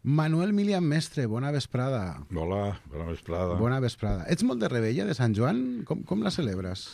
Manuel Milian Mestre, bona vesprada. Hola, bona vesprada. Bona vesprada. Ets molt de Revetlla, de Sant Joan? Com la celebres?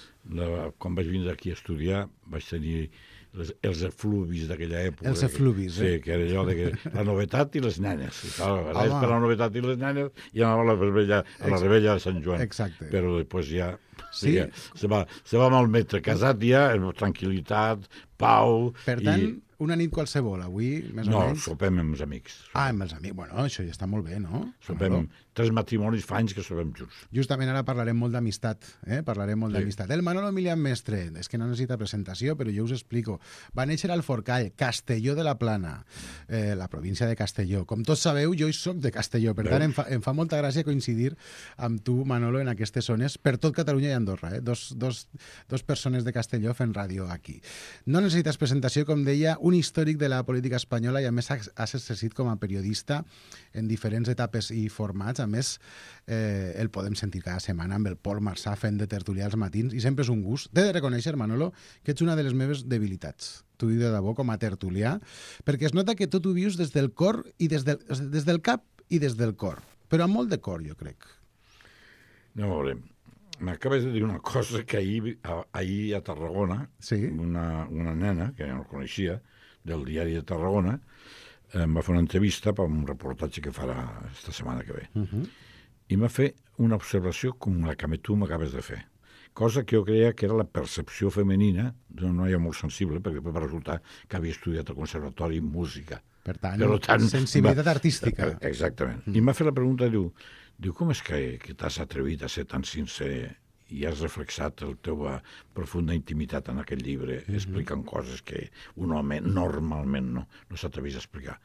Quan vaig vindre aquí a estudiar vaig tenir els efluvis d'aquella època. Els efluvis, Sí, que era allò de la novetat i les nenes. I clar, per la novetat i les nenes i anava a la Revetlla de Sant Joan. Exacte. Però després ja... Sí? Se va malmetre. Casat ja, tranquil·litat, pau... Per tant, una nit qualsevol, avui, més o menys? No, sopem amb els amics. Amb els amics. Bueno, això ja està molt bé, no? Sopem. 3 matrimonis fa anys que sopem junts. Justament ara parlarem molt d'amistat, Parlarem molt d'amistat. El Manolo Milian Mestre, és que no necessita presentació, però jo us explico. Va néixer al Forcall, Castelló de la Plana, la província de Castelló. Com tots sabeu, jo hi soc de Castelló, per tant em fa molta gràcia coincidir amb tu, Manolo, en aquestes zones, per tot Catalunya i Andorra, Dos persones de Castelló fent ràdio aquí. No necessites presentació, com deia, un històric de la política espanyola i a més has exercit com a periodista en diferents etapes i formats. A més, el podem sentir cada setmana amb el Pol Marçà fent de tertulià als matins i sempre és un gust. T'he de reconèixer, Manolo, que ets una de les meves debilitats. T'ho dic de debò com a tertulià, perquè es nota que tot ho vius des del cor i des del cap i des del cor. Però amb molt de cor, jo crec. No, a veure, m'acabes de dir una cosa que ahir a Tarragona, una nena, que no coneixia, del diari de Tarragona, em va fer una entrevista per un reportatge que farà esta setmana que ve. I m'ha fet una observació com la que tu m'acabes de fer. Cosa que jo creia que era la percepció femenina d'una noia molt sensible, perquè després va resultar que havia estudiat al conservatori música. Per tant, sensibilitat artística. Exactament. I m'ha fet la pregunta, diu, com és que t'has atrevit a ser tan sincer i has reflexat la teva profunda intimitat en aquest llibre, explicant coses que un home normalment no s'atrevís a explicar.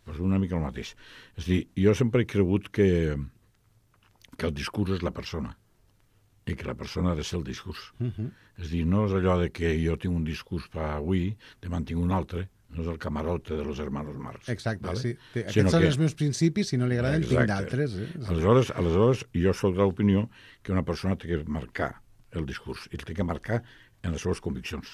Pues una mica el mateix. És a dir, jo sempre he cregut que el discurs és la persona i que la persona ha de ser el discurs. És a dir, no és allò de que jo tinc un discurs per avui, demà en tinc un altre, no és el camarote de los hermanos Marx. Exacte, ¿vale? Sí. Aquests són els meus principis, si no li agraden, tinc d'altres. Aleshores, jo soc de l'opinió que una persona té que marcar el discurs i el té que marcar en les seves conviccions.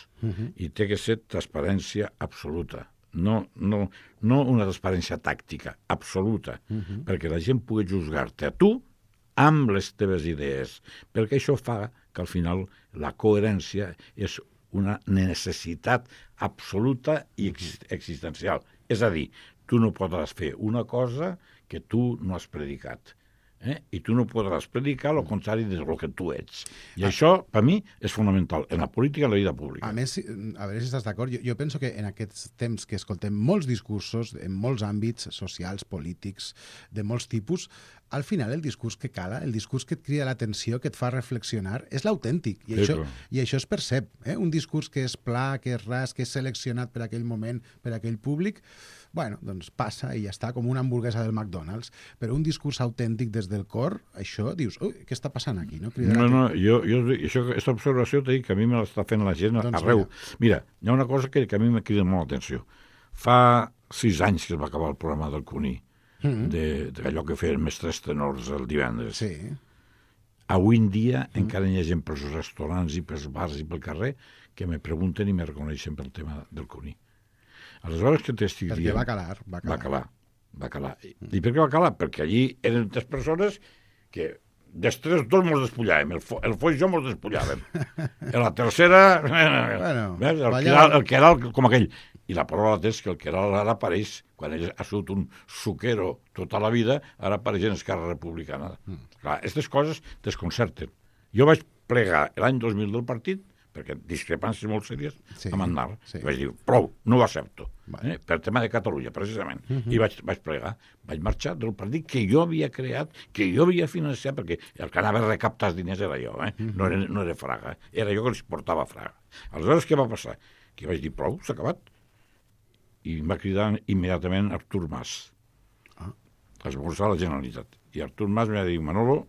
I té que ser transparència absoluta. No una transparència tàctica, absoluta, perquè la gent pugui juzgar-te a tu amb les teves idees, perquè això fa que al final la coherència és una necessitat absoluta i existencial. És a dir, tu no podràs fer una cosa que tu no has predicat. I tu no podràs predicar el contrari del que tu ets. I això, per mi, és fonamental en la política i en la vida pública. A més, a veure si estàs d'acord, jo penso que en aquests temps que escoltem molts discursos en molts àmbits socials, polítics, de molts tipus, al final el discurs que cala, el discurs que et crida l'atenció, que et fa reflexionar, és l'autèntic. I això es percep. Un discurs que és pla, que és ras, que és seleccionat per aquell moment, per aquell públic, bueno, doncs passa i ja està, com una hamburguesa del McDonald's. Però un discurs autèntic des del cor, això, dius, ui, què està passant aquí? No, aquesta observació t'he dit que a mi me l'està fent la gent arreu. Mira, hi ha una cosa que a mi me crida molt l'atenció. Fa 6 anys que es va acabar el programa del Cuní, d'allò que feien mestres tenors el divendres. Sí. Avui en dia encara hi ha gent pels restaurants i pels bars i pel carrer que me pregunten i me reconeixen pel tema del Cuní. Aleshores que t'estic dient... Perquè va calar. I per què va calar? Perquè allí eren 3 persones que dels 3 tots mos despullàvem. El Foix i jo mos despullàvem. En la tercera... el que era com aquell. I la paraula és que el que ara apareix, quan ell ha sigut un suquero tota la vida, ara apareix en Esquerra Republicana. Clar, aquestes coses desconcerten. Jo vaig plegar l'any 2000 del partit, perquè discrepàncies molt sèries, amb Aznar. Vaig dir, prou, no ho accepto. Per tema de Catalunya, precisament. I vaig plegar. Vaig marxar del partit que jo havia creat, que jo havia financiat, perquè el que anava a recaptar els diners era jo, no era Fraga. Era jo que els portava a Fraga. Aleshores, què va passar? Que vaig dir, prou, s'ha acabat. I em va cridar immediatament Artur Mas, a esmorzar a la Generalitat. I Artur Mas m'ha dit, Manolo,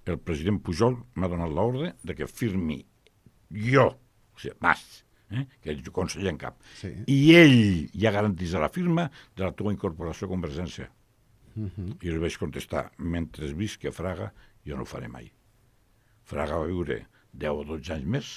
el president Pujol m'ha donat l'ordre de que firmi jo, o sigui, Mas, que és conseller en cap, i ell ja garantís la firma de la teva incorporació a Convergència. I li vaig contestar, mentre visqui a Fraga, jo no ho faré mai. Fraga va viure 10 o 12 anys més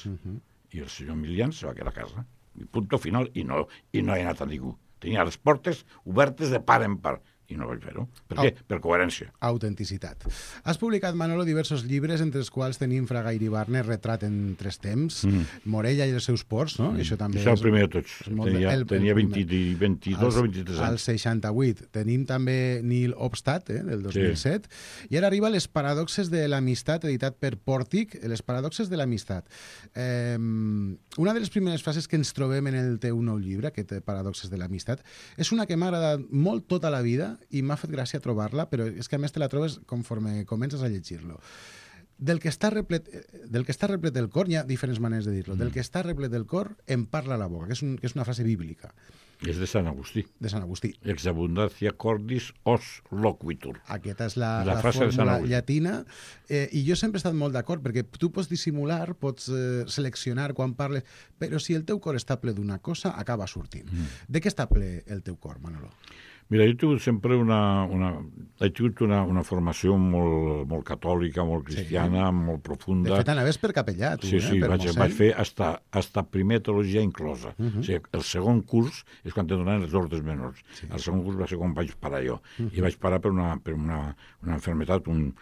i el senyor Milian se va quedar a casa. I punt final, i no he anat a ningú. Tenia les portes obertes de part en part. i no vaig fer-ho. Per què? Per coherència. Autenticitat. Has publicat, Manolo, diversos llibres, entre els quals tenim Fraga i Iribarne, Retrat en 3 temps, Morella i els seus ports, no? Això també és el primer de tots. Tenia 22 o 23 anys. Al 68. Tenim també Nil Obstat, del 2007. Sí. I ara arriba Les paradoxes de l'amistat, editat per Pòrtic, Les paradoxes de l'amistat. Una de les primeres frases que ens trobem en el teu nou llibre, aquest Paradoxes de l'amistat, és una que m'ha agradat molt tota la vida i m'ha fet gràcia trobar-la, però és que a més te la trobes conforme comences a llegir-lo. Del que està replet el cor, hi ha diferents maneres de dir-lo, del que està replet el cor en parla la boca, que és una frase bíblica. És de Sant Agustí. De Sant Agustí. Ex abundancia cordis os loquitur. Aquesta és la fórmula llatina. I jo sempre he estat molt d'acord, perquè tu pots dissimular, pots seleccionar quan parles, però si el teu cor està ple d'una cosa, acaba sortint. De què està ple el teu cor, Manolo? Mira, jo he tingut sempre una formació molt catòlica, molt cristiana, molt profunda. De fet, anaves per capellà, tu, sí, vaig fer hasta primer teologia inclosa. O sigui, el segon curs és quan te donen els ordres menors. Sí. El segon curs va ser quan vaig parar jo. I vaig parar per una enfermetat, un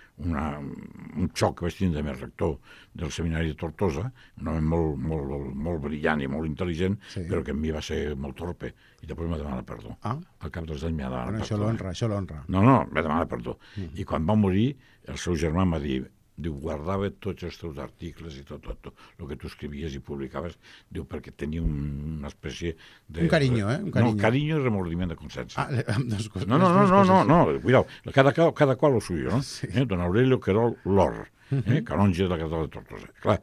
xoc que vaig tindre amb el rector del seminari de Tortosa, un home molt brillant i molt intel·ligent, però que en mi va ser molt torpe. I després m'ha demanat perdó. Al cap dels anys m'ha demanat perdó. Això l'honra. No, m'ha demanat perdó. I quan va morir, el seu germà m'ha dit, guardava tots els teus articles i tot, el que tu escrivies i publicaves, perquè tenia una espècie de... Un carinyo, No, carinyo i remordiment de consciència. No, cuidao, cada qual lo suyo, no? Sí. Don Aurelio Querol Lor, canonge de la catedral de Tortosa. Clar,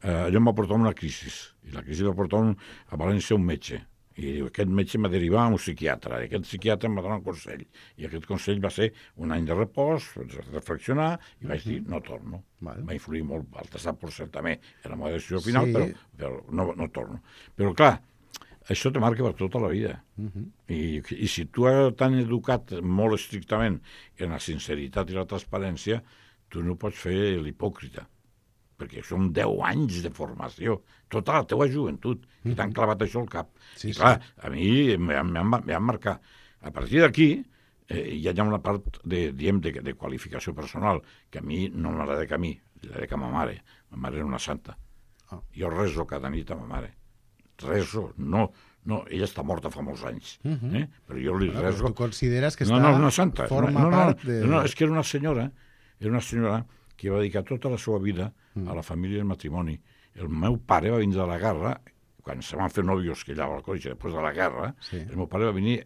allò em va portar una crisi, i la crisi va portar a València un metge, i aquest metge m'ha derivat a un psiquiatre, i aquest psiquiatre em va donar un consell, i aquest consell va ser un any de repòs, reflexionar, i vaig dir, no torno. Va influir molt, el tastat per cert també, era la meva decisió final, però no torno. Però clar, això te marca per tota la vida. I si tu t'han educat molt estrictament en la sinceritat i la transparència, tu no pots fer l'hipòcrita, perquè són 10 anys de formació, tota la teua joventut, i t'han clavat això al cap. I clar, a mi m'han marcat. A partir d'aquí, hi ha una part de qualificació personal, que a mi no m'agrada que a mi, l'agrada que a ma mare. Ma mare era una santa. Jo rezo cada nit a ma mare. Rezo, no, ella està morta fa molts anys, però jo li rezo... Però tu consideres que una santa. Forma part de... No, és que era una senyora que va dedicar tota la seva vida a la família i al matrimoni. El meu pare va vindre de la guerra, quan se van fer nòvios que allà al cotxe, després de la guerra, el meu pare va venir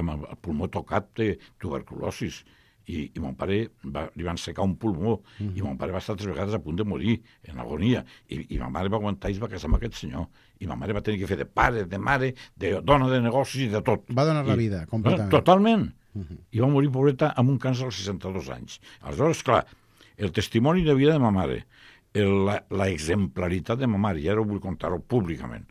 amb el pulmó tocat de tuberculosis, i mon pare li van secar un pulmó, i mon pare va estar 3 vegades a punt de morir, en agonia, i ma mare va aguantar i es va casar amb aquest senyor, i ma mare va tenir que fer de pare, de mare, de dona de negocis i de tot. Va donar la vida, completament. Totalment. I va morir, pobreta, amb un càncer als 62 anys. Aleshores, clar, el testimoni de vida de ma mare, la exemplaritat de ma mare, i ara ho vull contar-ho públicament.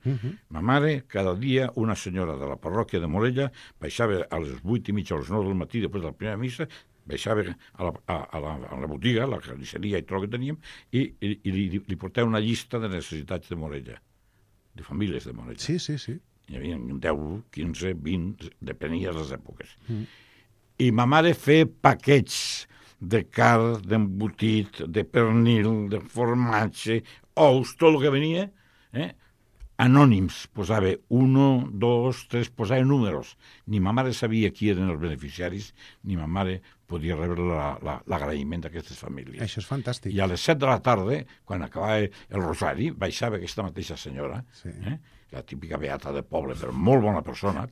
Ma mare, cada dia, una senyora de la parròquia de Morella, baixava a les 8:30 o les 9 del matí, després de la primera missa, baixava a la botiga, la carnisseria i tot el que teníem, i li portava una llista de necessitats de Morella, de famílies de Morella. Sí. Hi havia 10, 15, 20, depenia de les èpoques. I ma mare feia paquets de carn, d'embotit, de pernil, de formatge, ous, tot el que venia, anònims, posava 1, 2, 3, posava números. Ni ma mare sabia qui eren els beneficiaris, ni ma mare podia rebre l'agraïment d'aquestes famílies. Això és fantàstic. I a les 7 de la tarda, quan acabava el rosari, baixava aquesta mateixa senyora, la típica beata de poble, però molt bona persona,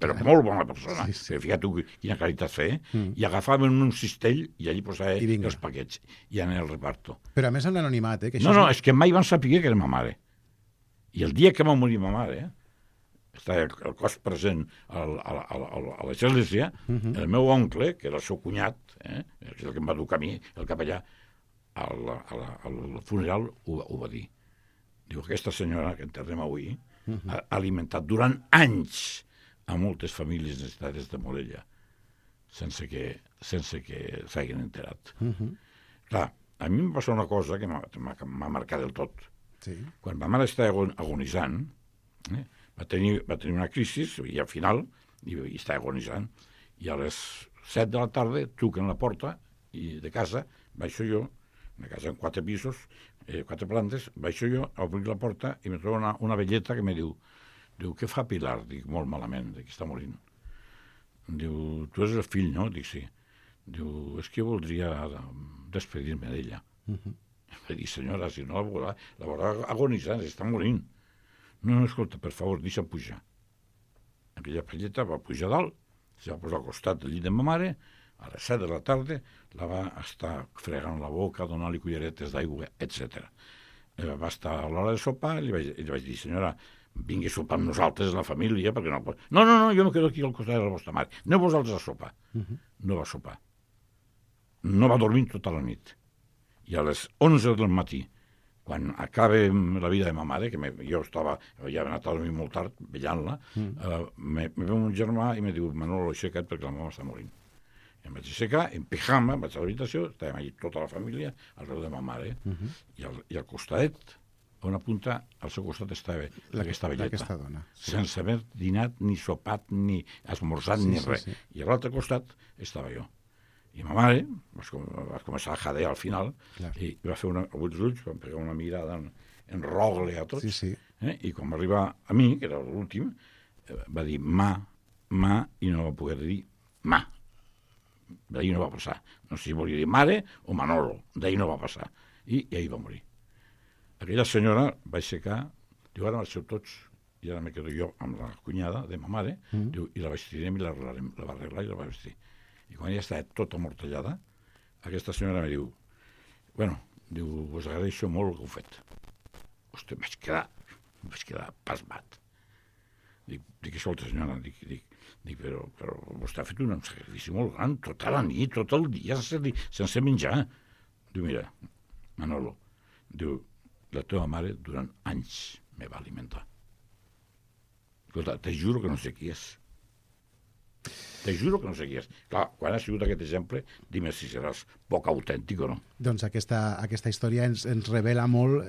Sí. Fíjate quina caritat fer, i agafaven un cistell i allí posava els paquets, i anava al reparto. Però a més amb l'anonimat, que No, és que mai van saber que era ma mare. I el dia que va morir ma mare, estava el cos present a l'església, el meu oncle, que era el seu cunyat, que és el que em va educar a mi, el capellà, al funeral ho va dir. Diu, aquesta senyora que enterrem avui ha alimentat durant anys a moltes famílies necessitades de Morella, sense que s'hagin enterat. Clar, a mi em va passar una cosa que m'ha marcat del tot. Quan ma mare estava agonitzant, va tenir una crisi, i al final, i estava agonitzant, i a les 7 de la tarda truquen la porta i de casa, baixo jo, una casa amb 4 pisos, 4 plantes, baixo jo, obro la porta i me trobo una velleta que me diu, què fa Pilar? Dic, molt malament, que està morint. Diu, tu és el fill, no? Dic, sí. Diu, és que jo voldria despedir-me d'ella. Vaig dir, senyora, si no la veurà agonitzant, està morint. No, escolta, per favor, deixa'm pujar. Aquella velleta va pujar dalt, se va posar al costat del llit de ma mare, a les 7 de la tarda la va estar fregant la boca, donant-li culleretes d'aigua, etc. Va estar a l'hora de sopar i li vaig dir, senyora, vingui a sopar amb nosaltres, la família, perquè no pot... No, jo me quedo aquí al costat de la vostra mare. Aneu vosaltres a sopar. No va sopar. No va dormir tota la nit. I a les 11 del matí, quan acaba la vida de ma mare, que jo ja he anat a dormir molt tard, veient-la, me veu un germà i me diu, Manolo, aixeca't perquè la mama està morint. I em vaig aixecar, en pijama, vaig a l'habitació, estàvem allà tota la família, al peu de ma mare, i al costadet, a una punta, al seu costat estava aquesta velleta, sense haver dinat, ni sopat, ni esmorzat, ni res. I a l'altre costat estava jo. I ma mare va començar a jadear al final, i va fer els ulls, va pegar una mirada en rogle a tots, i quan va arribar a mi, que era l'últim, va dir ma, i no va poder dir ma. D'ahir no va passar. No sé si volia dir mare o Manolo, d'ahir no va passar. I ahir va morir. Aquella senyora va aixecar, diu, ara marxeu tots, i ara me quedo jo amb la cunyada de ma mare, diu, i la vestirem i la va arreglar i la va vestir. I quan ja estava tota amortallada, aquesta senyora me diu, diu, us agraeixo molt el que heu fet. Hosti, vaig quedar pasmat. Dic, escolta, senyora, però vostè ha fet un sacrifici molt gran, tota la nit, tot el dia, sense menjar. Diu, mira, Manolo, diu, la teva mare durant anys me va alimentar. Escolta, te juro que no sé qui és. Te juro que no sé qui és. Clar, quan ha sigut aquest exemple, dime si seràs poc autèntic o no. Doncs aquesta història ens revela molt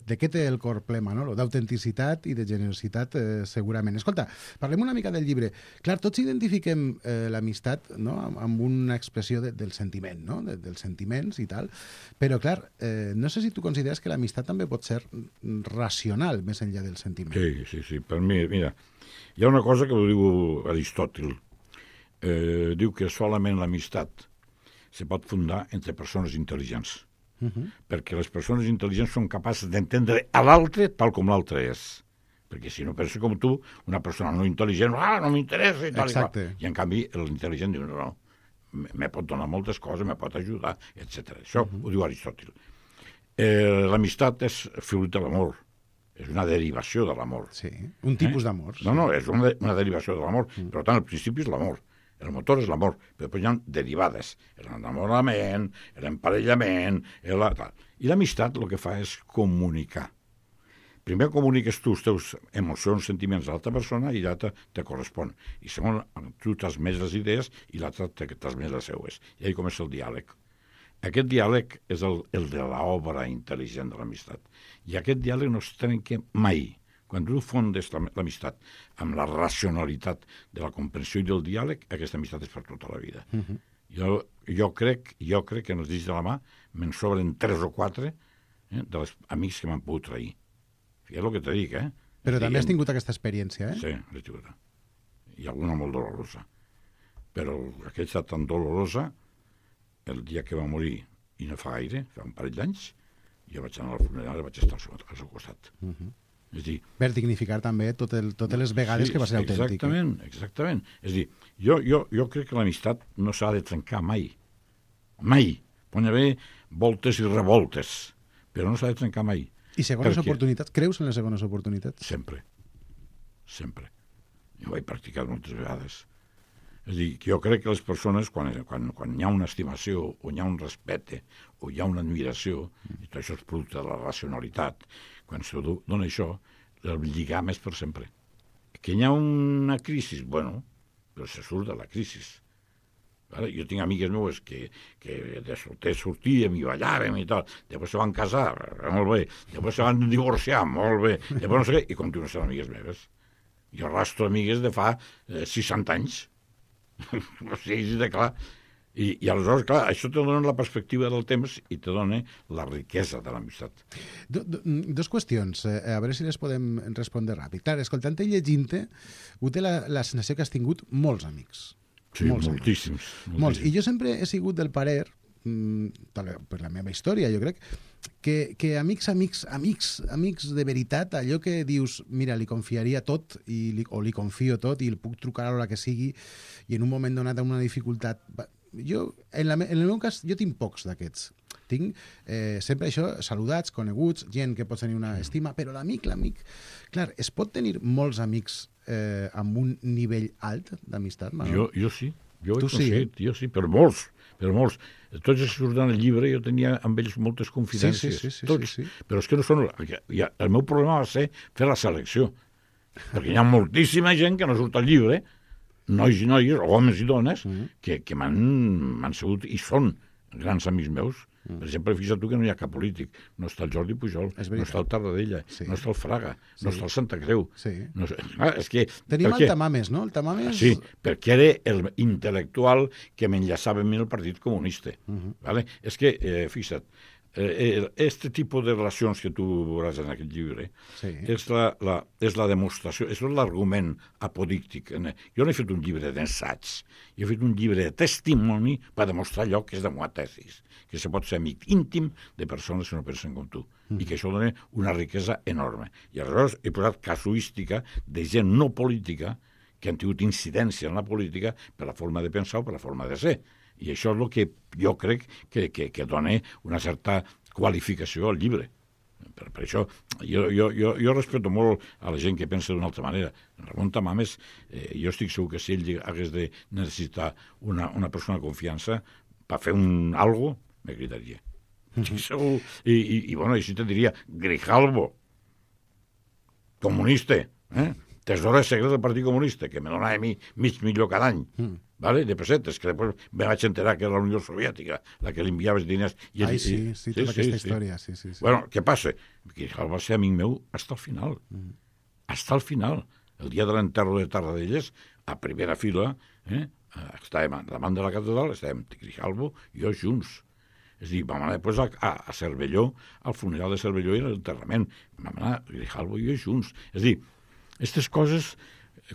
de què té el cor ple Manolo, d'autenticitat i de generositat, segurament. Escolta, parlem una mica del llibre. Clar, tots identifiquem l'amistat, no?, amb una expressió del sentiment, no?, dels sentiments i tal, però, clar, no sé si tu consideres que l'amistat també pot ser racional, més enllà del sentiment. Sí. Per mi, mira, hi ha una cosa que ho diu Aristòtil. Diu que solament l'amistat se pot fundar entre persones intel·ligents, perquè les persones intel·ligents són capaces d'entendre a l'altre tal com l'altre és, perquè si no pensa com tu, una persona no intel·ligent, no m'interessa i tal i qual, i en canvi l'intel·ligent diu no, me pot donar moltes coses, me pot ajudar, etc. Això ho diu Aristòtil. L'amistat és fruit de l'amor, és una derivació de l'amor. Sí, un tipus d'amor. No, és una derivació de l'amor, per tant, el principi és l'amor. El motor és l'amor, però després hi ha derivades. L'enamorament, l'emparellament... I l'amistat el que fa és comunicar. Primer comuniques tu els teus emocions, sentiments a l'altra persona i l'altra te correspon. I segon, tu transmets les idees i l'altra te transmets les seues. I ahí comença el diàleg. Aquest diàleg és el de l'obra intel·ligent de l'amistat. I aquest diàleg no es trenca mai. Quan tu fondes l'amistat amb la racionalitat de la comprensió i del diàleg, aquesta amistat és per tota la vida. Jo crec que en els dits de la mà me'n sobren 3 o 4 dels amics que m'han pogut trair. Fíjate el que te dic, Però també has tingut aquesta experiència, Sí, l'he tingut. I alguna molt dolorosa. Però aquesta tan dolorosa, el dia que va morir, i no fa gaire, fa un parell d'anys, jo vaig anar al funeral i vaig estar al seu costat. És dir, per dignificar també totes les vegades que va ser autèntic. Exactament. És dir, jo crec que l'amistat no s'ha de trencar mai. Mai. Pot haver voltes i revoltes, però no s'ha de trencar mai. I segones oportunitats? Creus en les segones oportunitats? Sempre. Jo ho he practicat moltes vegades. És dir, jo crec que les persones, quan hi ha una estimació, o hi ha un respecte, o hi ha una admiració, i tot això és producte de la racionalitat, quan se dona això, el lligam és per sempre. Que hi ha una crisi, però se surt de la crisi. Jo tinc amigues meves que de solter sortíem i ballàvem i tal, després se van casar, molt bé, després se van divorciar, molt bé, després no sé què, i continuen sent amigues meves. Jo arrastro amigues de fa 60 anys. O sigui, de clar. I aleshores, clar, això te dona la perspectiva del temps i te dona la riquesa de l'amistat. Dos qüestions, a veure si les podem respondre ràpid. Clar, escoltant-te i llegint-te, ho té la sensació que has tingut molts amics. Sí, moltíssims. Molts. I jo sempre he sigut del parer, per la meva història, jo crec, que amics de veritat, allò que dius, mira, li confiaria tot, o li confio tot, i el puc trucar a l'hora que sigui, i en un moment donat amb una dificultat... Jo, en el meu cas, jo tinc pocs d'aquests. Tinc sempre això, saludats, coneguts, gent que pot tenir una estima, però l'amic... Clar, es pot tenir molts amics amb un nivell alt d'amistat, Manol? Jo sí. Jo sí, però molts. Tots els que surten al llibre jo tenia amb ells moltes confidències. Sí. Però és que no són... El meu problema va ser fer la selecció. Perquè hi ha moltíssima gent que no surt al llibre, nois i noies, homes i dones, que m'han sigut i són grans amics meus. Per exemple, fixa't tu que no hi ha cap polític. No està el Jordi Pujol, no està el Tarradella, no està el Fraga, no està el Santa Creu. No, és que, tenim el Tamames, no? El Tamames... Sí, perquè era el m'enllaçava amb mi el Partit Comunista. Vale? És que, fixa't, este tipus de relacions que tu veuràs en aquest llibre és la demostració, és l'argument apodíctic. Jo no he fet un llibre d'ensaig, jo he fet un llibre de testimoni per demostrar allò que és la meva tesis, que se pot ser amic íntim de persones que no pensen com tu, i que això dona una riquesa enorme. I aleshores he posat casuística de gent no política que han tingut incidència en la política per la forma de pensar o per la forma de ser. I això és el que jo crec que dona una certa qualificació al llibre. Per això jo respeto molt a la gent que pensa d'una altra manera. Ramon Tamames, jo estic segur que si ell hagués de necessitar una persona de confiança per fer algo, me critaria. Estic segur. I així te diria, Grijalvo, comunista, tesoro secret del Partit Comunista, que me donava a mi mig milió cada any, de pessetes, que després me vaig enterar que era la Unió Soviètica la que li enviava els diners. Sí, tota aquesta història. Sí. Bueno, què passa? Que va ser amic meu fins al final. Fins al final. El dia de l'enterro de Tarradellas, a primera fila, estàvem davant de la catedral, estàvem Grijalvo i jo junts. És a dir, vam anar després a Cervelló, al funeral de Cervelló i a l'enterrament. Vam anar Grijalvo i jo junts. És a dir, aquestes coses,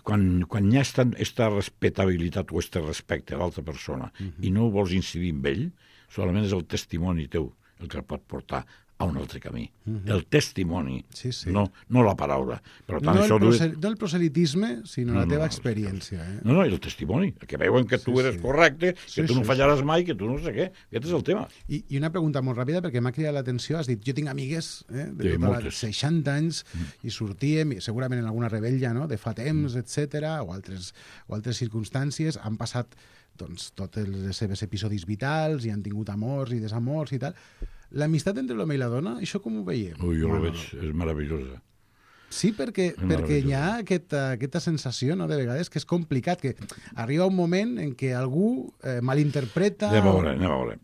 quan hi ha aquesta respectabilitat o aquest respecte a l'altra persona i no vols incidir en ell, solament és el testimoni teu el que el pot portar a un altre camí. El testimoni, no la paraula. Per tant, no el proselitisme, sinó la teva experiència. No, el testimoni, que veuen que tu eres correcte, que tu no fallaràs mai, que tu no sé què. Aquest és el tema. I una pregunta molt ràpida, perquè m'ha cridat l'atenció. Has dit, jo tinc amigues de tota les 60 anys i sortíem, segurament en alguna rebella, de fa temps, etc., o altres circumstàncies, han passat tots els seus episodis vitals i han tingut amors i desamors i tal. L'amistat entre l'home i la dona, això com ho veiem? Jo ho veig, és meravellosa. Sí, perquè hi ha aquesta sensació, de vegades, que és complicat, que arriba un moment en què algú malinterpreta... Anem a veure.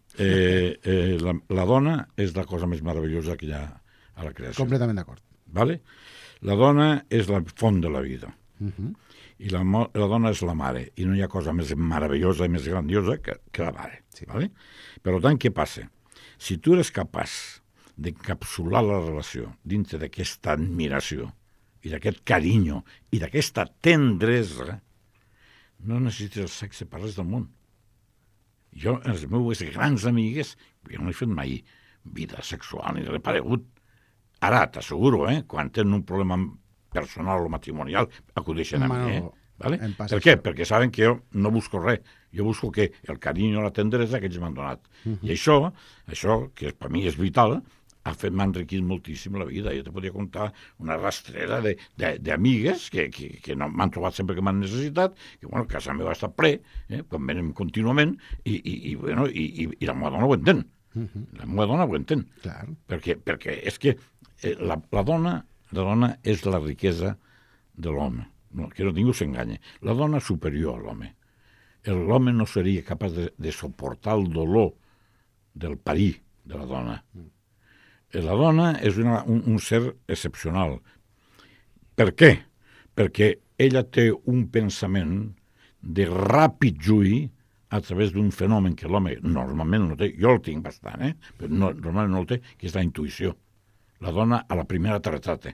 La dona és la cosa més meravellosa que hi ha a la creació. Completament d'acord. Vale? La dona és la font de la vida. I la dona és la mare. I no hi ha cosa més meravellosa i més grandiosa que la mare. Vale? Per tant, què passa? Si tu eres capaç d'encapsular la relació dintre d'aquesta admiració i d'aquest carinyo i d'aquesta tendresa, no necessites el sexe per res del món. Jo, els meus grans amigues, jo no he fet mai vida sexual ni res paregut. Ara, t'asseguro, quan tenen un problema personal o matrimonial, acudeixen a mi, Vale? Per què? Perquè saben que jo no busco res. Jo busco que el carinyo, la tendresa que ells m'han donat. I això, que per mi és vital, m'ha enriquit moltíssim la vida. Jo te podria contar una rastrera d'amigues que m'han trobat sempre que m'han necessitat, que, casa meva està ple, quan venen contínuament, i la meva dona ho entén. La meva dona ho entén. Perquè és que la dona és la riquesa de l'home. Que no ningú s'enganya. La dona és superior a l'home. L'home no seria capaç de suportar el dolor del parir de la dona. La dona és un ser excepcional. Per què? Perquè ella té un pensament de ràpid juí a través d'un fenomen que l'home normalment no té, jo el tinc bastant, però normalment no el té, que és la intuïció. La dona a la primera te retrata.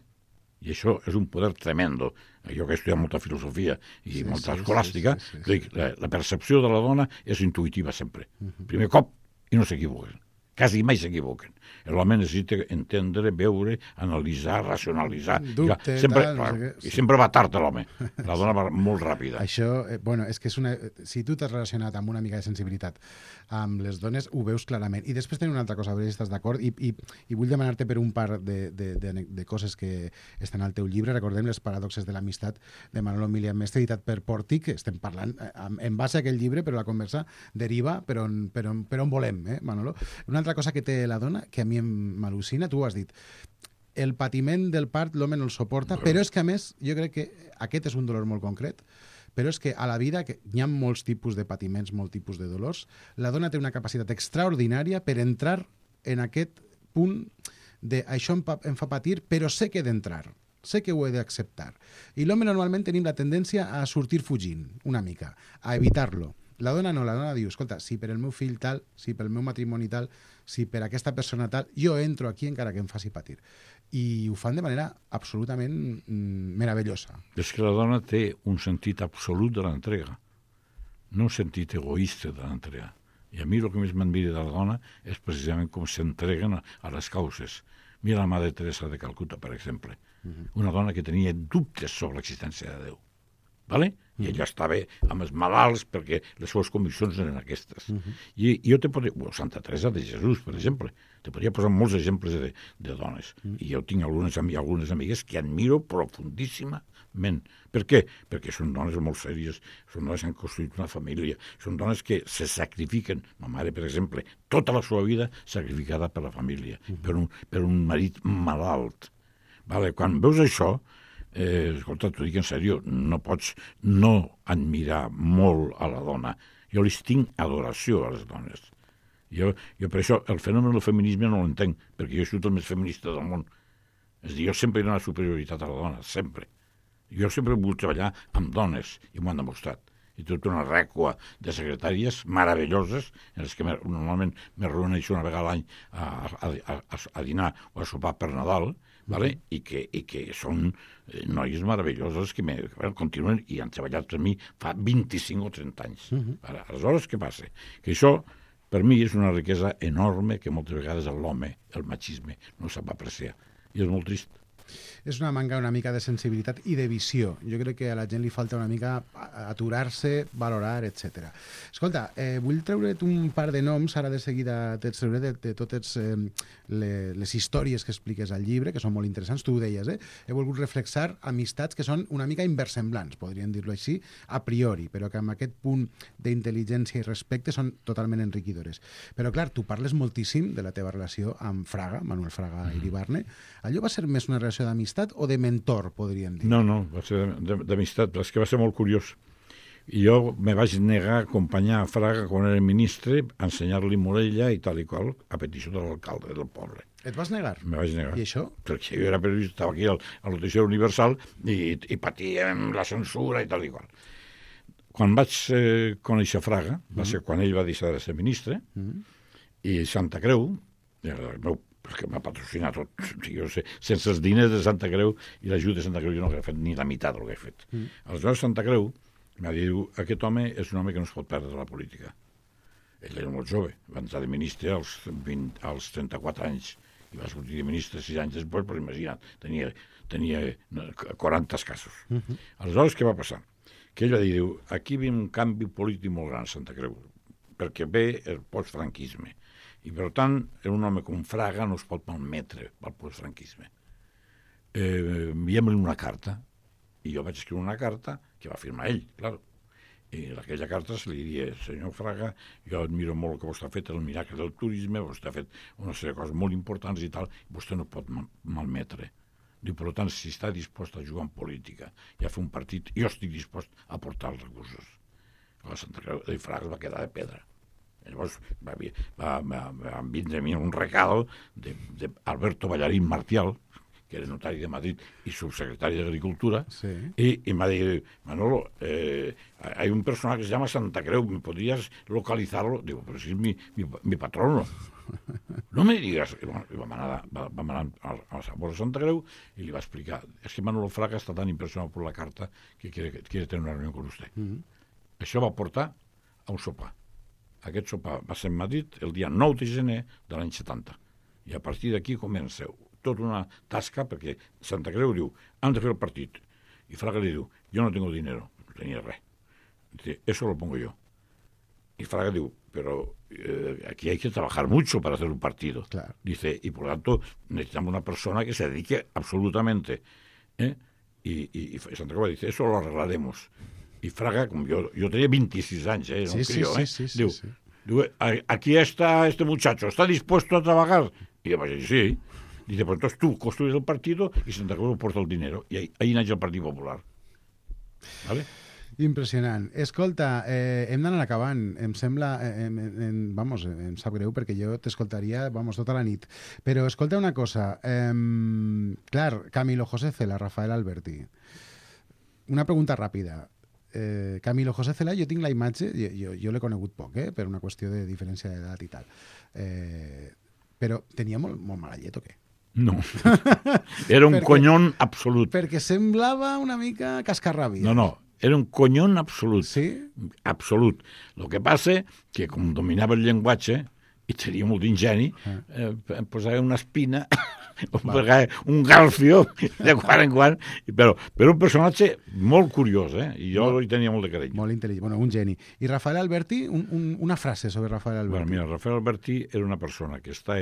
I això és un poder tremendo. Jo que he estudiat molta filosofia i molta escolàstica, la percepció de la dona és intuïtiva sempre. Primer cop, i no s'equivoquen. Quasi mai s'equivoquen. L'home necessita entendre, veure, analitzar, racionalitzar. Dubte, I sempre va tard l'home. La dona va molt ràpida. Això, és que si tu t'has relacionat amb una mica de sensibilitat amb les dones, ho veus clarament. I després tenim una altra cosa, a veure si estàs d'acord, i vull demanar-te per un par de coses que estan al teu llibre. Recordem Les paradoxes de l'amistat, de Manolo Milian Mestre, editat per Pòrtic. Estem parlant en base a aquell llibre, però la conversa deriva per on volem, Manolo? Una altra cosa que té la dona, que a mi m'al·lucina, tu ho has dit, el patiment del part l'home no el suporta, però és que a més jo crec que aquest és un dolor molt concret, però és que a la vida hi ha molts tipus de patiments, molts tipus de dolors. La dona té una capacitat extraordinària per entrar en aquest punt de això em fa patir, però sé que he d'entrar, sé que ho he d'acceptar. I l'home normalment tenim la tendència a sortir fugint una mica, a evitar-lo. La dona no, la dona diu, escolta, si per el meu fill tal, si pel meu matrimoni tal, si per aquesta persona tal, jo entro aquí encara que em faci patir. I ho fan de manera absolutament meravellosa. És que la dona té un sentit absolut de l'entrega, no un sentit egoista de l'entrega. I a mi el que més m'admira de la dona és precisament com s'entreguen a les causes. Mira la Mare Teresa de Calcuta, per exemple. Una dona que tenia dubtes sobre l'existència de Déu. Vale? I ella estava amb els malalts perquè les seves conviccions eren aquestes. I jo te podria... Santa Teresa de Jesús, per exemple. Te podria posar molts exemples de dones. I jo tinc algunes amigues que admiro profundíssimament. Per què? Perquè són dones molt sèries, són dones que han construït una família, són dones que se sacrifiquen. Ma mare, per exemple, tota la seva vida sacrificada per la família, per un marit malalt. Vale? Quan veus això, escolta, t'ho dic en sèrio, no pots no admirar molt a la dona. Jo les tinc adoració a les dones. Jo per això el fenomen del feminisme no l'entenc, perquè jo he sigut el més feminista del món. És a dir, jo sempre he donat superioritat a la dona, sempre. Jo sempre he volgut treballar amb dones, i m'ho han demostrat. I tota una rècua de secretàries meravelloses, en les que normalment me reuneixo una vegada a l'any a dinar o a sopar per Nadal, vale? I que són noies meravelloses que continuen i han treballat per mi fa 25 o 30 anys. Aleshores, què passa? Que això, per mi, és una riquesa enorme que moltes vegades l'home, el machisme, no sap apreciar. I és molt trist. És una manca una mica de sensibilitat i de visió. Jo crec que a la gent li falta una mica aturar-se, valorar, etc. Escolta, vull treure't un par de noms, ara de seguida te'ls treuré de totes les històries que expliques al llibre, que són molt interessants, tu ho deies, He volgut reflexar amistats que són una mica inversemblants, podríem dir-lo així, a priori, però que amb aquest punt d'intel·ligència i respecte són totalment enriquidores. Però clar, tu parles moltíssim de la teva relació amb Fraga, Manuel Fraga Iribarne. Allò va ser més una relació d'amistat o de mentor, podríem dir? No, va ser d'amistat, però és que va ser molt curiós. I jo me vaig negar a acompanyar a Fraga quan era ministre, a ensenyar-li Morella i tal i qual, a petició de l'alcalde del poble. Et vas negar? Me vaig negar. I això? Perquè jo era periodista, estava aquí al Noticiari Universal i patíem la censura i tal i qual. Quan vaig conèixer Fraga, va ser quan ell va deixar de ser ministre, i Santa Creu, el meu perquè m'ha patrocinat tot. Jo sé, sense els diners de Santa Creu i l'ajut de Santa Creu jo no hauria fet ni la meitat del que he fet. Aleshores, Santa Creu m'ha dit, aquest home és un home que no es pot perdre de la política. Ell era molt jove, va entrar de ministre als 34 anys i va sortir de ministre 6 anys després, però imagina't, tenia 40 escassos. Aleshores, què va passar? Que ell va dir, aquí ve un canvi polític molt gran a Santa Creu, perquè ve el postfranquisme. I, per tant, un home com Fraga no es pot malmetre pel postfranquisme. Enviem-li una carta, i jo vaig escriure una carta que va firmar ell, clar. I en aquella carta se li diria, senyor Fraga, jo admiro molt el que vostè ha fet, el miracle del turisme, vostè ha fet una sèrie de coses molt importants i tal, vostè no pot malmetre. Diu, per tant, si està dispost a jugar en política i a fer un partit, jo estic dispost a aportar els recursos. La Santa Creu de Fraga va quedar de pedra. Llavors va vindre a mi un recado d'Alberto Ballarín Martial, que era notari de Madrid y subsecretario de Agricultura, sí. y me dijo, Manolo, hay un personaje que se llama Santa Creu, ¿me podrías localizarlo? Digo, pero si es mi patrono. No me digas. I vam anar a Sabor de Santa Creu y le va a explicar, es que Manolo Fraga está tan impresionado por la carta que quiere tener una reunión con usted. Això va portar a un sopar. Aquest sopar va ser en Madrid el dia 9 de gener de l'any 70. I a partir d'aquí comença tota una tasca, perquè Santa Creu diu, han de fer el partit. I Fraga li diu, jo no tengo dinero, no tenia res. Dice, eso lo pongo yo. Y Fraga diu, pero aquí hay que trabajar mucho para hacer un partido. Claro. Dice, y por lo tanto necesitamos una persona que se dedique absolutamente. Y Santa Creu dice, eso lo arreglaremos. Y Fraga, como yo tenía 26 años, era un crío, diu, aquí está este muchacho, ¿está dispuesto a trabajar? Y yo, pues sí. Dice, pues entonces tú construyes el partido y Santa Creu porta el dinero. Y ahí nace el Partit Popular. ¿Vale? Impressionant. Escolta, hem d'anar acabant. Em sembla... em sap greu perquè jo t'escoltaria tota la nit. Però escolta una cosa. Clar, Camilo José Cela, Rafael Alberti. Una pregunta ràpida. Camilo José Cela, jo tinc la imatge, jo l'he conegut poc, per una qüestió de diferència d'edat i tal. Però tenia molt mala llet o què? No. Era un conyón absolut. Perquè semblava una mica cascarràbia. No. Era un conyón absolut. Sí? Absolut. Lo que passa que, com dominava el llenguatge, i tenia molt d'ingeni, posava una espina, un galfio, de quan en quan, però un personatge molt curiós, i jo hi tenia molt de carinyo. Molt intel·ligent, un geni. I Rafael Alberti, una frase sobre Rafael Alberti. Bueno, mira, Rafael Alberti era una persona que està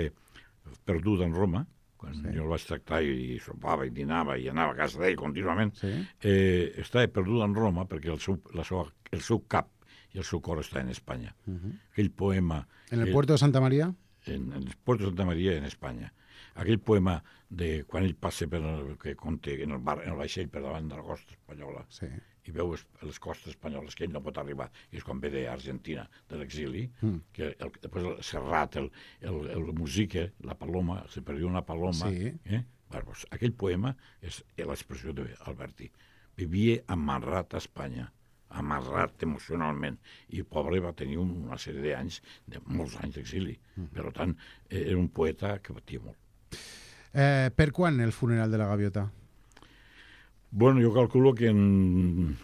perduda en Roma, quan jo el vaig tractar i sopava i dinava i anava a casa d'ell contínuament, està perduda en Roma perquè el seu cap i el seu cor està en Espanya. Aquell poema... En el puerto de Santa Maria? En el puerto de Santa Maria, en Espanya. Aquell poema de quan ell passa que conta en el vaixell per davant de la costa espanyola i veu les costes espanyoles que ell no pot arribar, i és quan ve d'Argentina, de l'exili, que després el Serrat, el musique, la paloma, se perdió una paloma. Pues aquell poema és l'expressió d'Alberti. Vivia amarrat a Espanya, amarrat emocionalment, i pobre va tenir una sèrie d'anys, de molts anys d'exili. Per tant, era un poeta que batia molt. Per quan el funeral de la Gaviota? Bueno, jo calculo que en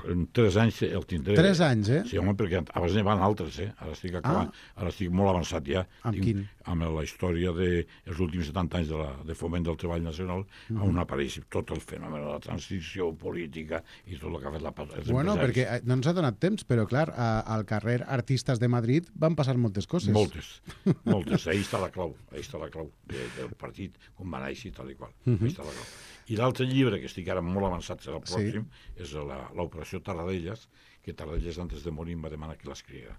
3 anys el tindré. 3 anys, Sí, home, perquè abans n'hi van altres, Ara estic acabant, ara estic molt avançat ja. Amb quin? Amb la història dels últims 70 anys de foment del treball nacional, on apareix tot el fenomen de la transició política i tot el que ha fet els Bueno, perquè no ens ha donat temps, però clar, al carrer Artistes de Madrid van passar moltes coses. Moltes. Ahí està la clau del partit, com va néixer i tal i qual. Ahí està la clau. I l'altre llibre, que estic ara molt avançat, serà el pròxim, és l'Operació Tarradellas, que Tarradellas, antes de morir, em va demanar que l'escrigués.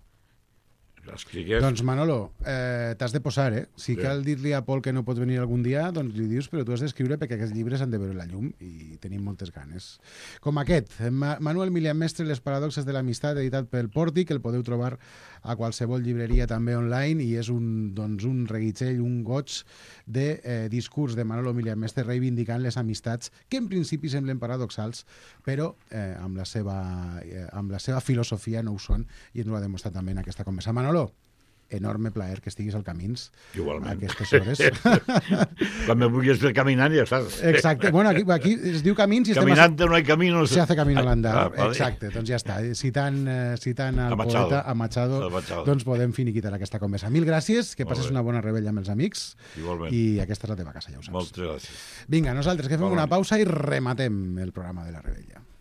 Doncs Manolo, t'has de posar, Si cal dir-li a Pol que no pots venir algun dia, doncs li dius, però tu has d'escriure perquè aquests llibres han de veure la llum i tenim moltes ganes. Com aquest, Manuel Milian Mestre, Les paradoxes de l'amistat, editat pel Pòrtic, el podeu trobar a qualsevol llibreria també online, i és un reguitzell, un goig de discurs de Manolo Milian Mestre reivindicant les amistats que en principi semblen paradoxals, però amb la seva filosofia no ho són, i ens ho ha demostrat també en aquesta conversa. Manolo, enorme plaer que estiguis al Camins. Igualment. A aquestes hores. Quan me vulguis fer caminant, ja saps. Exacte. Bueno, aquí es diu Camins i Caminante no hay camino. Se hace camino al andar. Vale. Exacte, doncs ja està. Citant al poeta, a Machado, doncs podem finiquitar aquesta conversa. Mil gràcies, que passes una bona rebella amb els amics. Igualment. I aquesta és la teva casa, ja ho saps. Moltes gràcies. Vinga, nosaltres que fem una pausa i rematem el programa de la rebella.